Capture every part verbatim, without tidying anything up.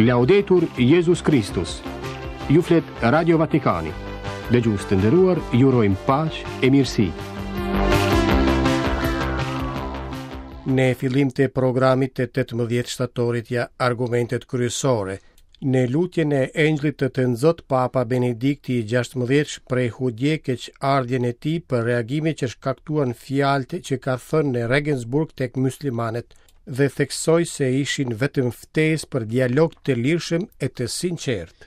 Laudetur Jezus Kristus. Ju flet Radio Vatikani. Dëgjues të nderuar, ju urojmë paqe e mirësi. Në fillim të programit të tetëmbëdhjetë shtatorit ja argumentet kryesore. Në lutjen e Engjëllit të Tënzot, Papa Benedikti i gjashtëmbëdhjetë shprehu dje keqardhjen e tij për reagimet që shkaktuan fjalët që ka thënë në Regensburg tek muslimanët dhe theksoi se ishin vetëm ftesë për dialog të lirshëm e të sinqertë.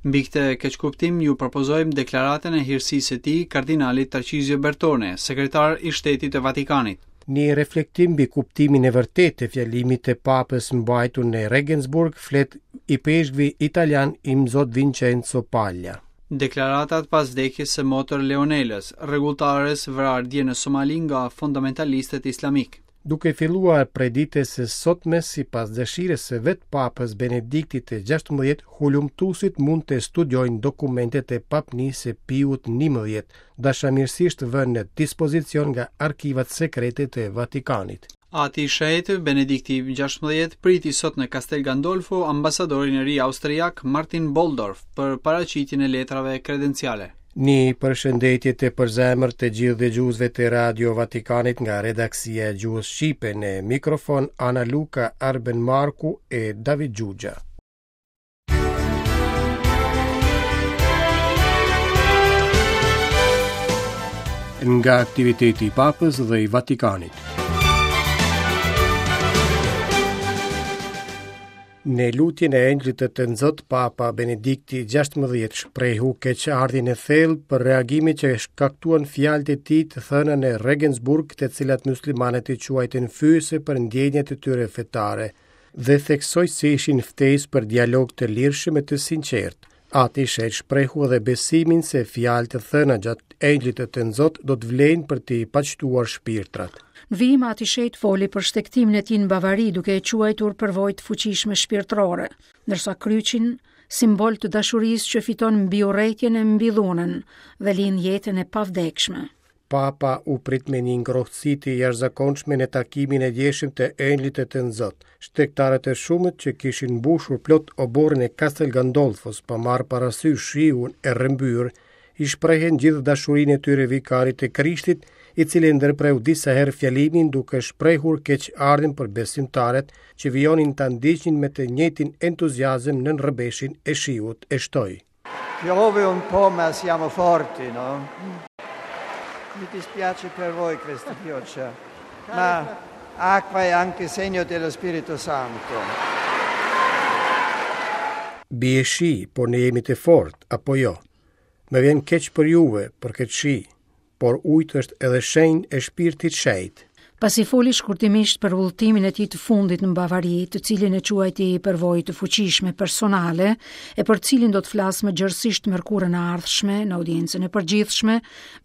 Mbi këtë keqkuptim ju propozojmë deklaratën e hirësisë së tij kardinalit Tarcizio Bertone, sekretar i Shtetit të Vatikanit. Një reflektim mbi kuptimin e vërtetë të fjalimit të Papës mbajtur në Regensburg flet ipeshkvi italian Imzot Vincenzo Paglia. Deklaratat pas vdekjes së motër Leonelës, rregulltares vrarë dje në Somali nga fundamentalistët islamik. Duke filluar prej ditës së sotme, sipas dëshirës së vetë Papës Benediktit të gjashtëmbëdhjetë, hulumtuesit mund të studiojnë dokumentet e papnisë së Piut njëmbëdhjetë, dashamirësisht vënë në dispozicion nga arkivat sekrete të Vatikanit. Ati i Shenjtë Benedikti i gjashtëmbëdhjetë priti sot në Castel Gandolfo ambasadorin e ri austriak Martin Boldorf për paraqitjen e letrave kredenciale. Një përshëndetje të përzemër të gjithë dëgjuesve të Radio Vatikanit nga redaksia e gjuhës shqipe në mikrofon Ana Luka, Arben Marku e David Gjugja. Nga aktiviteti i Papës dhe i Vatikanit. Në lutjen e Engjëllit të Tënzot, Papa Benedikti gjashtëmbëdhjetë shprehu keqardhjen e thellë për reagimet që shkaktuan fjalët e tij të thëna në Regensburg, të cilat muslimanët i quajtën fyese për ndjenjat e tyre fetare, dhe theksoi se ishin ftesë për dialog të lirshëm e të sinqertë. Ati i Shenjtë shprehu edhe besimin se fjalët e thëna gjatë Engjëllit të Tënzot do të vlejnë për t'i paqtuar shpirtrat. Në vijim Ati i Shenjtë foli për shtegtimin e tij në Bavari duke e quajtur përvojë të fuqishme shpirtërore, ndërsa kryqin simbol të dashurisë që fiton mbi urrejtjen e mbi dhunën dhe lind jetën e pavdekshme. Papa u prit me një ngrohtësi të jashtëzakonshme në takimin e djeshëm të Engjëllit të Tënzot. Shtegtarët e shumët që kishin mbushur plot oborrin e Castel Gandolfos pa marrë parasysh shiun e rrëmbyer, i shprehen gjithë dashurinë e tyre vikarit të Krishtit, i cili ndërpreu disa herë fjalimin duke shprehur keqardhjen për besimtarët që vijonin ta ndiqnin me të njëjtin entuziazëm nën rrëbeshin e shiut, e shtoi. Piove un po', ma siamo forti, no? Mi dispiace per voi questa pioggia, ma acqua è anche segno dello Spirito Santo. Bie shi, por ne jemi të fortë, apo jo? Më vjen keq për juve, për këtë shi, por ujtë është edhe shenjë e shpirtit shenjt. Pasi foli shkurtimisht për udhëtimin e tij të fundit në Bavari, të cilin e quajti përvojë të fuqishme personale, e për cilin do të flas më gjerësisht mërkurën e ardhshme në audiencën e përgjithshme,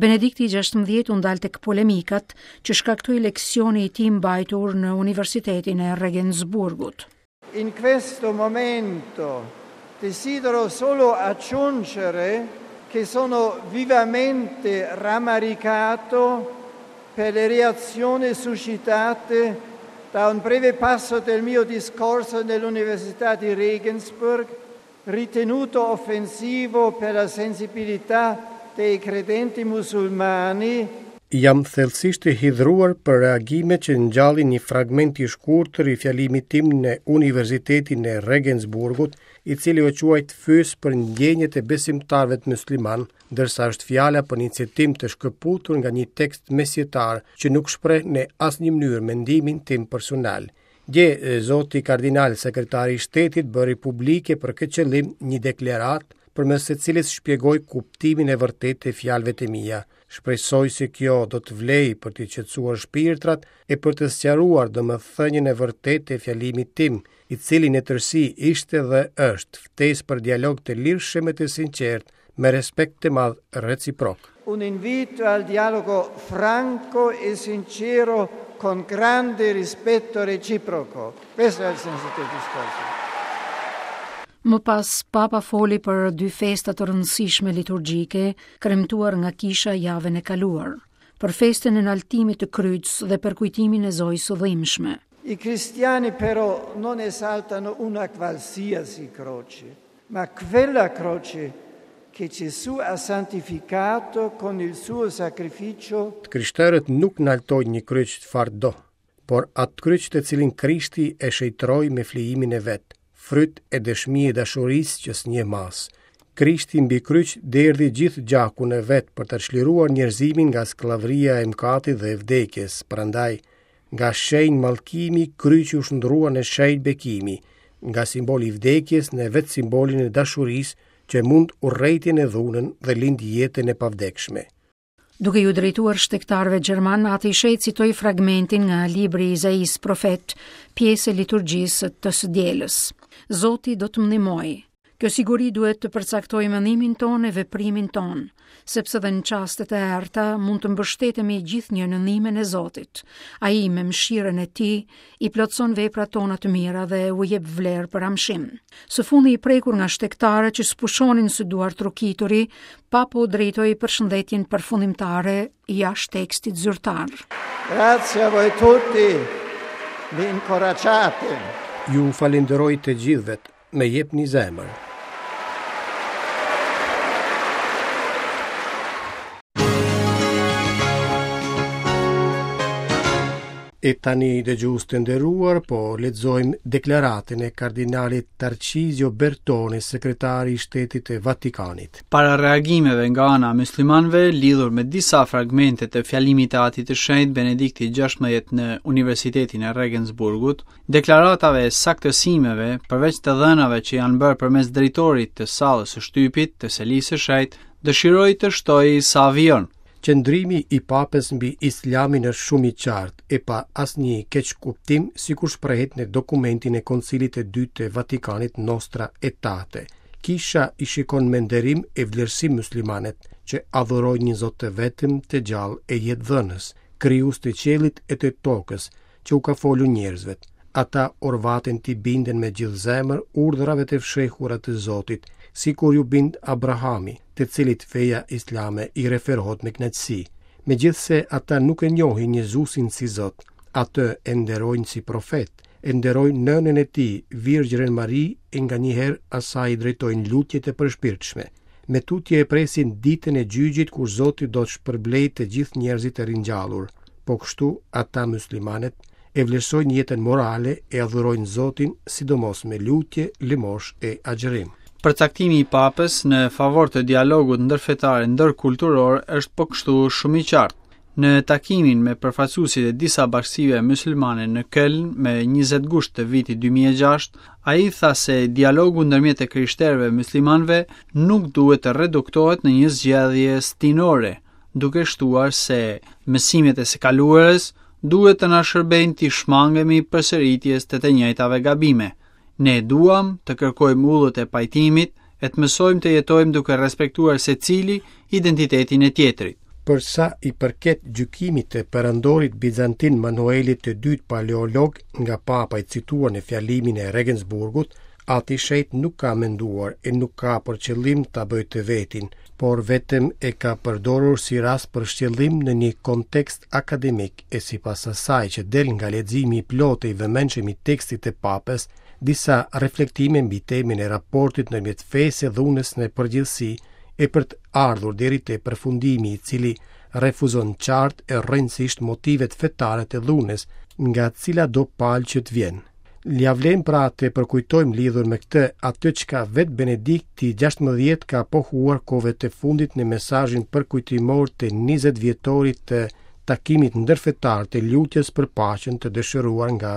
Benedikti i gjashtëmbëdhjetë u ndal tek polemikat që shkaktoi leksioni i tij mbajtur në Universitetin e Regensburgut. In questo momento desidero solo aggiungere che sono vivamente rammaricato per le reazioni suscitate da un breve passo del mio discorso nell'Università di Regensburg, ritenuto offensivo per la sensibilità dei credenti musulmani. Jam thellësisht i hidhruar për reagimet që ngjallin një fragment i shkurtër i fjalimit tim në Universitetin e Regensburgut, i cili u quajt fyes për ndjenjat e besimtarëve të musliman, ndërsa është fjala për një citim të shkëputur nga një tekst mesjetar që nuk shpreh në asnjë mënyrë mendimin tim personal. Dje, zoti kardinal, sekretari i shtetit, bëri publike për këtë qëllim një deklaratë përmes së cilës shpjegoi kuptimin e vërtetë të fjalëve të mia. Shpresoj se kjo do të vlejë për t'i qetësuar shpirtrat e për të sqaruar domethënien e vërtetë të fjalimit tim, i cili në tërësi ishte dhe është ftesë për dialog të lirshëm e të sinqert, me respekt të madh reciprok. Un invito al dialogo franco e sincero con grande rispetto reciproco. Questo è il senso del discorso. Më pas, Papa foli për dy festa të rëndësishme liturgjike, kremtuar nga kisha javën e kaluar, për festën e naltimit të kryqës dhe për kujtimin e Zojës së Dhimbshme. I cristiani però non esaltano una qualsiasi croce, ma quella croce che Gesù ha santificato con il suo sacrificio. Të krishterët nuk naltojnë një kryq çfarëdo, por atë kryq të cilin Krishti e shenjtëroi me flijimin e vet, fryt e dëshmi e dashurisë që s'njeh masë. Krishti mbi kryq derdhi gjithë gjakun e vet për të çliruar njerëzimin nga skllavëria e mëkatit dhe e vdekjes. Prandaj, nga shenjë mallkimi, kryqi u shndërrua në shenjë bekimi, nga simboli i vdekjes në vetë simbolin e dashurisë që mund urrejtjen e dhunën dhe lind jetën e pavdekshme. Duke ju drejtuar shtegtarëve gjerman, Ati i Shenjtë citoi fragmentin nga libri i Izaisë profet, pjesë e liturgjisë të së dielës. Zoti do të më ndihmojë. Kjo siguri duhet të përcaktojë mendimin tonë e veprimin tonë, sepse dhe në çastet e errëta mund të mbështetemi gjithnjë në ndihmën e Zotit. Ai me mëshirën e tij i plotëson veprat tona të mira dhe u jep vlerë për amshim. Së fundi i prekur nga shtegtarët që s'pushonin së duartrokituri, Papa u drejtoi përshëndetjen përfundimtare jashtë tekstit zyrtar. Grazie a voi tutti, mi incoraggiate. Ju falenderoj të gjithëve, me jepni zemër. E tani, dëgjues të nderuar, po lexojmë deklaratën e kardinalit Tarcizio Bertone, sekretari i Shtetit të Vatikanit. Para reagimeve nga ana e muslimanëve lidhur me disa fragmente të fjalimit të Atit të Shenjtë Benedikti gjashtëmbëdhjetë në Universitetin e Regensburgut, deklaratave e saktësimeve, përveç të dhënave që janë bërë përmes drejtorit të sallës së shtypit të Selisë së Shenjtë, dëshiroi të shtoj sa vijon. Qëndrimi i papës mbi Islamin është shumë i qartë e pa asnjë keqkuptim, sikur shprehet në dokumentin e Koncilit të Dytë të Vatikanit Nostra Aetate. Kisha i shikon me nderim e vlerësim muslimanët që adhurojnë një Zot të vetëm të gjallë e jetëdhënës, krijues të qiellit e të tokës, që u ka folur njerëzve. Ata orvaten t'i binden me gjithë zemër urdhrave të fshehura të Zotit, sikur ju bind Abrahami, të cilit feja islame i referohet me kënaqësi. Megjithse ata nuk e njohin Jezusin si Zot, atë e nderojnë si profet, e nderojnë nënën e tij, Virgjërën Mari, e nganjëherë asaj i drejtojnë lutjet e përshpirtshme. Me tutje e presin ditën e gjyqit kur Zoti do të shpërblejë të gjithë njerëzit e ringjallur. Po kështu ata muslimanët e vlerësojnë jetën morale e adhurojnë Zotin, sidomos me lutje, lëmosh e agjërim. Përcaktimi i papës në favor të dialogut ndërfetar e ndërkulturor është po kështu shumë i qartë. Në takimin me përfaqësuesit e disa bashkësive muslimane në Köln me njëzet gusht të vitit dy mijë e gjashtë, ai tha se dialogu ndërmjet e krishterëve muslimanëve nuk duhet të reduktohet në një zgjedhje stinore, duke shtuar se mësimet e së kaluarës duhet të na shërbejnë të shmangemi përsëritjes të të njëjtave gabime. Ne duam të kërkojmë ullët e pajtimit e të mësojmë të jetojmë duke respektuar secili identitetin e tjetrit. Për sa i përket gjykimit të perandorit Bizantin Manuelit të dytë paleolog nga papa i cituar në fjalimin e Regensburgut, Ati i Shenjtë nuk ka menduar e nuk ka për qëllim ta bëjë të vetin, por vetëm e ka përdorur si rast për shtjellim në një kontekst akademik e sipas asaj që del nga leximi i plotë i vëmendshëm i tekstit të papës, disa reflektime mbi temën e raportit ndërmjet fesë e dhunës në përgjithësi e për të ardhur deri te përfundimi i cili refuzon qartë e rëndësisht motivet fetare të dhunës nga cila do palë që të vjen. Ja vlen pra të përkujtojmë lidhur me këtë atë çka vetë Benedikti gjashtëmbëdhjetë ka pohuar kohëve të fundit në mesazhin përkujtimor të njëzet vjetorit të takimit ndërfetar të lutjes për paqen të dëshiruar nga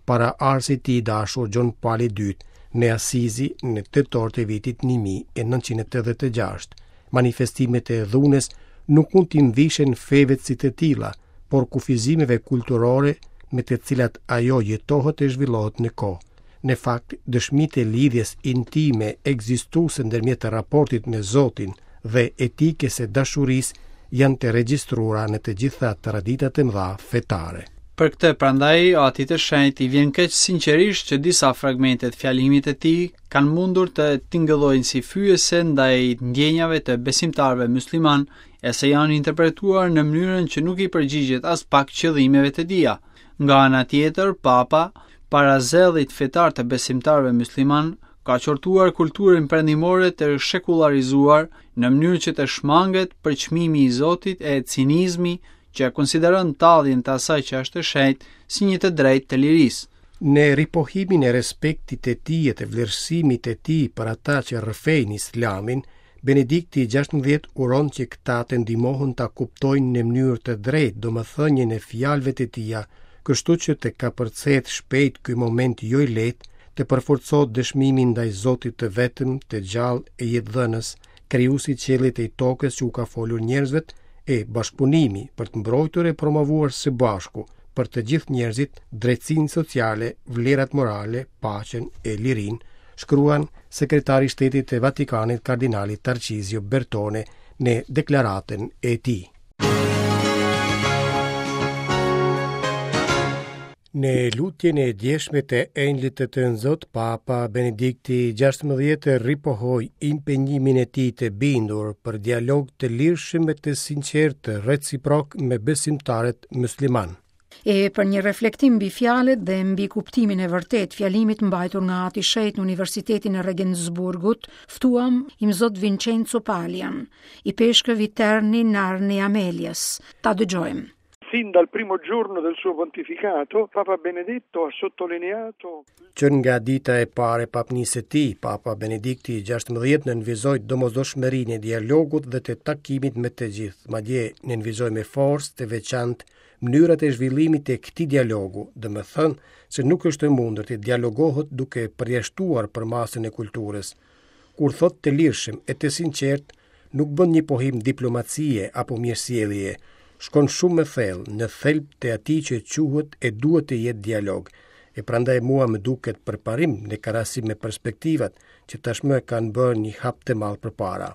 paraardhësi i tij i dashur Gjon Pali i dytë në Asizi në tetor të vitit një mijë e nëntëqind e tetëdhjetë e gjashtë. Manifestimet e dhunës nuk mund t'i mvishen feve si të tilla, por kufizimeve kulturore me të cilat ajo jetohet e zhvillohet në kohë. Në fakt, dëshmitë e lidhjes intime ekzistuese ndërmjet raportit me Zotin dhe etikës së dashurisë janë të regjistruara në të gjitha traditat e mëdha fetare. Për këtë prandaj, Atit të Shenjtë i vjen keq sinqerisht që disa fragmente të fjalimit të tij kanë mundur të tingëllojnë si fyese ndaj ndjenjave të besimtarëve musliman e se janë interpretuar në mënyrën që nuk i përgjigjet as pak qëllimeve të tija. Nga ana tjetër, Papa, para zellit fetar të besimtarëve musliman, ka qortuar kulturën perëndimore të shekullarizuar në mënyrë që të shmanget përçmimi i Zotit e cinizmi që e konsideron talljen të asaj që është e shenjtë si një të drejtë të lirisë. Në ripohimin e respektit të tij e të vlerësimit të tij për ata që rrëfejnë Islamin, Benedikti gjashtëmbëdhjetë uron që këta të ndihmohen ta kuptojnë në mënyrë të drejtë domethënien e fjalëve të tija, kështu që të kapërcehet shpejt ky moment jo i lehtë, të përforcohet dëshmimi ndaj Zotit të vetëm, të gjallë e jetëdhënës, krijuesi i qiellit e i tokës që u ka folur njerëzve, e bashkëpunimi për të mbrojtur e promovuar së bashku për të gjithë njerëzit drejtësinë sociale, vlerat morale, paqen e lirinë, shkruan sekretari i Shtetit të Vatikanit kardinali Tarcizio Bertone në deklaratën e tij. Në lutjen e djeshme të Engjëllit të Tënzot, Papa Benedikti gjashtëmbëdhjetë ripohoi impenjimin e tij të bindur për dialog të lirshëm e të sinqertë reciprok me besimtarët musliman. E për një reflektim mbi fjalët dhe mbi kuptimin e vërtet fjalimit mbajtur nga Ati Shenjt në Universitetin e Regensburgut, ftuam Imzot Vincenzo Palian, i peshkëv i Terni Narni Amelias. Ta dëgjojmë. Sin dal primo giorno del suo pontificato, Papa Benedetto ha sottolineato Që nga dita e parë e papnisë së tij, Papa Benedikti gjashtëmbëdhjetë nënvizoi domosdoshmërinë e dialogut dhe të takimit me të gjithë, madje nënvizoi me forcë të veçantë mënyrat e zhvillimit të këtij dialogu, domethënë se nuk është e mundur të dialogohet duke përjashtuar përmasën e kulturës. Kur thot të lirshëm e të sinqert, nuk bën një pohim diplomacie apo mirësjellje, shkon shumë më thellë në thelb të atij që quhet e duhet të jetë dialog. E prandaj mua më duket përparim në krahasim me perspektivat që tashmë kanë bërë një hap të madh përpara.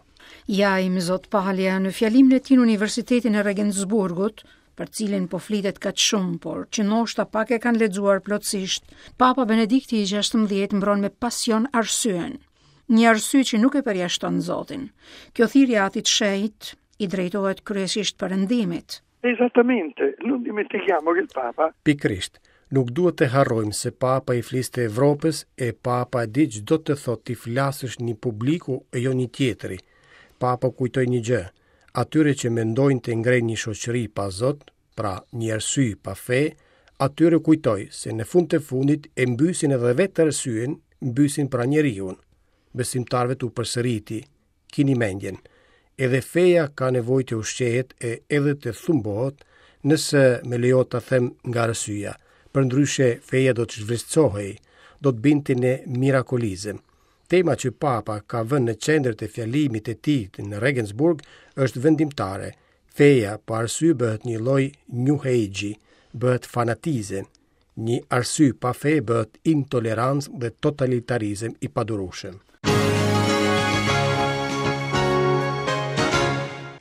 Ja, Imzot Palia, në fjalimin e tij në Universitetin e Regensburgut, për cilin po flitet kaq shumë, por që ndoshta pak e kanë lexuar plotësisht, Papa Benedikti i gjashtëmbëdhjetë mbron me pasion arsyen. Një arsye që nuk e përjashton Zotin. Kjo thirrje e Atit Shenjt i drejtohet kryesisht perëndimit. Esattamente, non dimentichiamo che il Papa Pikërisht, nuk duhet të harrojmë se Papa i fliste Evropës e Papa e di ç'do të thotë t'i flasësh një publiku e jo një tjetri. Papa kujtoi një gjë, atyre që mendojnë të ngrejnë një shoqëri pa Zot, pra një arsye pa fe, atyre kujtoi se në fund të fundit e mbysin edhe vetë arsyen, mbysin pra njeriun. Besimtarëve tu përsëriti, kini mendjen, edhe feja ka nevojë të ushqehet e edhe të thumbohet, nëse më lejohet ta them nga arsyeja. Përndryshe feja do të zhvlerësohej, do të binte në mirakulizëm. Tema që Papa ka vënë në qendër të fjalimit të tij në Regensburg është vendimtare. Feja pa arsye bëhet një lloj New Age, bëhet fanatizëm. Një arsye pa fe bëhet intolerancë dhe totalitarizëm i padurueshëm.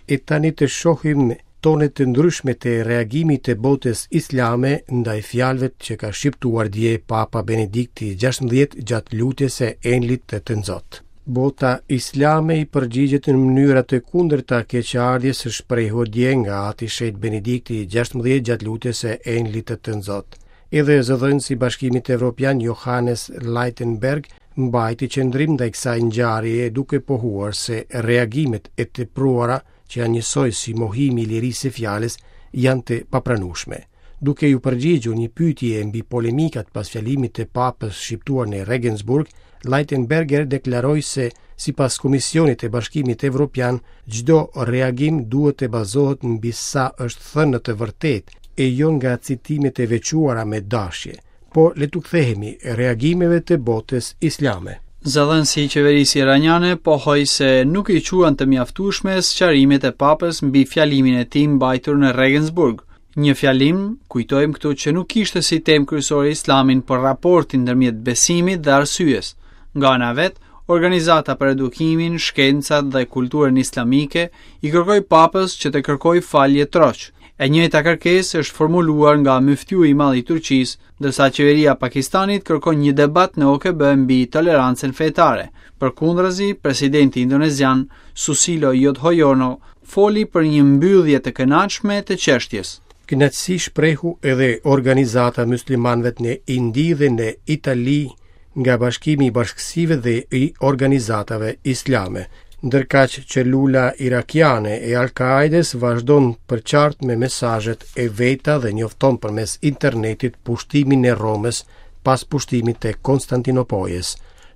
E tani të shohim tone të ndryshme të reagimit të botës islame ndaj fjalëve që ka shqiptuar dje Papa Benedikti gjashtëmbëdhjetë gjatë lutjes së Engjëllit të Tënzot. Bota islame i përgjigjet në mënyra të kundërta keqardhjes së shprehur dje nga Ati Shenjt Benedikti gjashtëmbëdhjetë gjatë lutjes së Engjëllit të Tënzot. Edhe zëdhënësi i Bashkimit Evropian Johannes Leitenberg mbajti qëndrim ndaj kësaj ngjarjeje duke pohuar se reagimet e tepruara që janë njësoj si mohimi i lirisë së fjalës janë të papranueshme. Duke ju përgjigjur një pyetje mbi polemikat pas fjalimit të Papës shqiptuar në Regensburg, Leitenberger deklaroi se sipas Komisionit të Bashkimit Evropian, çdo reagim duhet të bazohet mbi sa është thënë në të vërtetë e jo nga citimet e veçuara me dashje. Por le t'u kthehemi reagimeve të botës islame. Zëdhënësi i qeverisë iraniane pohoi se nuk i quan të mjaftueshme sqarimet e Papës mbi fjalimin e tij mbajtur në Regensburg. Një fjalim, kujtojmë këtu, që nuk ishte si temë kryesore Islamin, por raportin ndërmjet besimit dhe arsyes. Nga ana vet, Organizata për Edukimin, Shkencat dhe Kulturën Islamike i kërkoi Papës që të kërkojë falje troç. E njëjta kërkesë është formuluar nga myftiu i madh i Turqisë, ndërsa qeveria e Pakistanit kërkon një debat në O K B mbi tolerancën fetare. Përkundrazi, presidenti indonezian Susilo Yudhoyono foli për një mbyllje të kënaqshme të çështjes. Kënaqësi shprehu edhe organizata muslimanëve në Indi dhe në Itali nga bashkimi i bashkësive dhe i organizatave islame. Ndërkaq celula irakiane e Al-Qaedes vazhdon përçart me mesazhet e veta dhe njofton përmes internetit pushtimin e Romës pas pushtimit të Konstantinopojës.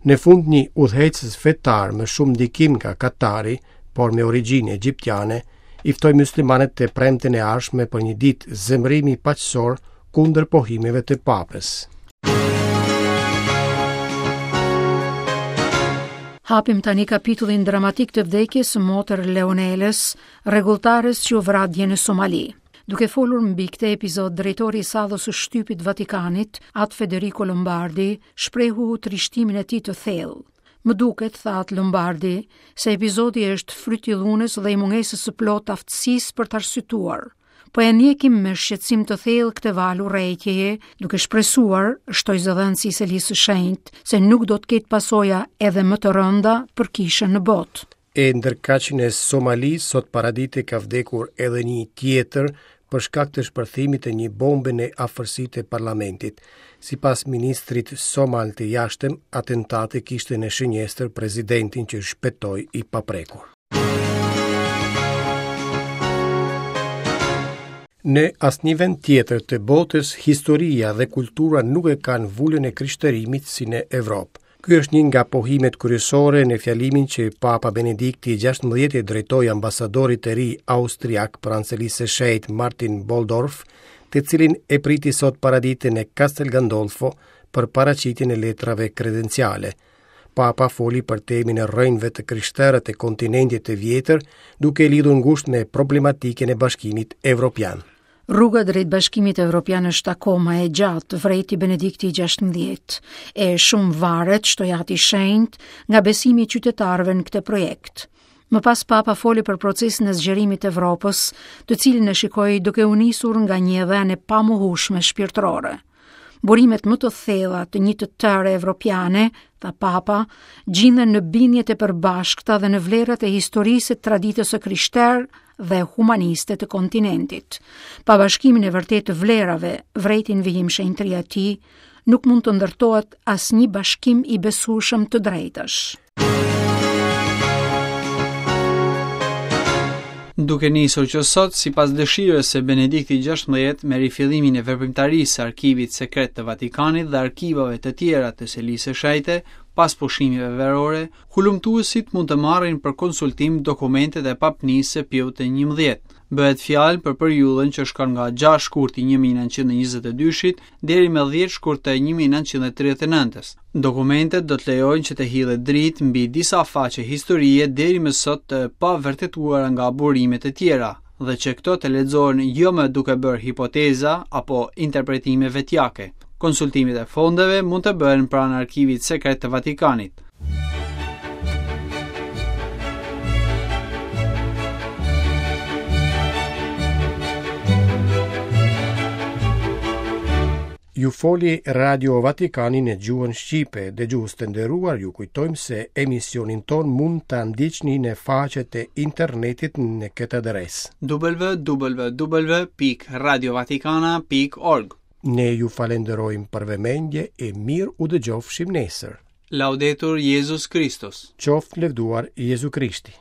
Në fund një udhëheqës fetar me shumë ndikim nga Katari, por me origjinë egjiptiane, i ftoi muslimanët të premten e ardhshme për një ditë zemërimi paqësor kundër pohimeve të papës. Hapim tani kapitullin dramatik të vdekjes së motër Leonelës, rregulltares që u vra dje në Somali. Duke folur mbi këtë epizod, drejtori i sallës së shtypit Vatikanit, At Federico Lombardi, shprehu trishtimin e tij të thellë. Më duket, tha At Lombardi, se epizodi është fryt i dhunës dhe i mungesës së plotë aftësisë për të arsyetuar. Po e ndjekim me shqetësim të thellë këtë valë urrejtjeje, duke shpresuar, shtoi zëdhënësi i Selisë së Shenjtë, se nuk do të ketë pasoja edhe më të rënda për kishën në botë. E ndërkaq në Somali sot paradite ka vdekur edhe një tjetër për shkak të shpërthimit të një bombe në afërsi të parlamentit. Sipas ministrit somal të jashtëm, atentati kishte në shënjestër presidentin që shpëtoi i paprekur. Në asnjë vend tjetër të botës, historia dhe kultura nuk e kanë vulën e krishterimit si në Evropë. Ky është një nga pohimet kryesore në fjalimin që Papa Benedikti i gjashtëmbëdhjetë i drejtoi ambasadorit të ri austriak pranë Selisë së Shenjtë Martin Boldorf, të cilin e priti sot paradite në Castel Gandolfo për paraqitjen e letrave kredenciale. Papa foli për temën e rrënjëve të krishterët e kontinentit të vjetër, duke e lidhur ngushtë me problematikën e Bashkimit Evropian. Rruga drejt Bashkimit Evropian është akoma e gjatë, vrejti Benedikti i gjashtëmbëdhjetë, e shumë varet, shtoi Ati i Shenjtë, nga besimi i qytetarëve në këtë projekt. Më pas Papa foli për procesin e zgjerimit të Evropës, të cilin e shikoi duke u nisur nga një e dhënë e pamohueshme shpirtërore. Burimet më të thella të një të tëre evropiane, tha Papa, gjinden në bindjet e përbashkëta dhe në vlerat e historisë e traditës së krishterë dhe humaniste të kontinentit. Pa bashkimin e vërtetë të vlerave, vrejtin vijim shenjtëria e tij, nuk mund të ndërtohet asnjë bashkim i besueshëm të drejtësh. Duke nisur që sot, sipas dëshirës së Benediktit gjashtëmbëdhjetë, me rifillimin e veprimtarisë së Arkivit Sekret të Vatikanit dhe arkivave të tjera të Selisë së Shenjtë, pas pushimeve verore, hulumtuesit mund të marrin për konsultim dokumentet e papnisë së Piut të njëmbëdhjetë. Bëhet fjalë për periudhën që shkon nga gjashtë shkurti një mijë e nëntëqind e njëzet e dyshit deri më dhjetë shkurt të një mijë e nëntëqind e tridhjetë e nëntës. Dokumentet do të lejojnë që të hidhet dritë mbi disa faqe historie deri më sot të pavërtetuara nga burimet e tjera, dhe që këto të lexohen jo më duke bërë hipoteza apo interpretime vetjake. Konsultimet e fondeve mund të bëhen pranë Arkivit Sekret të Vatikanit. Ju foli Radio Vatikani në gjuhën shqipe. Dëgjues të nderuar, ju kujtojmë se emisionin ton mund ta ndiqni në faqet e internetit në këtë adresë: w w w pikë radio vatikana pikë org. Ne ju falenderojmë për vëmendje e mirë u dëgjofshim nesër. Laudetur Jezus Kristus. Qoftë lëvduar Jezu Krishti.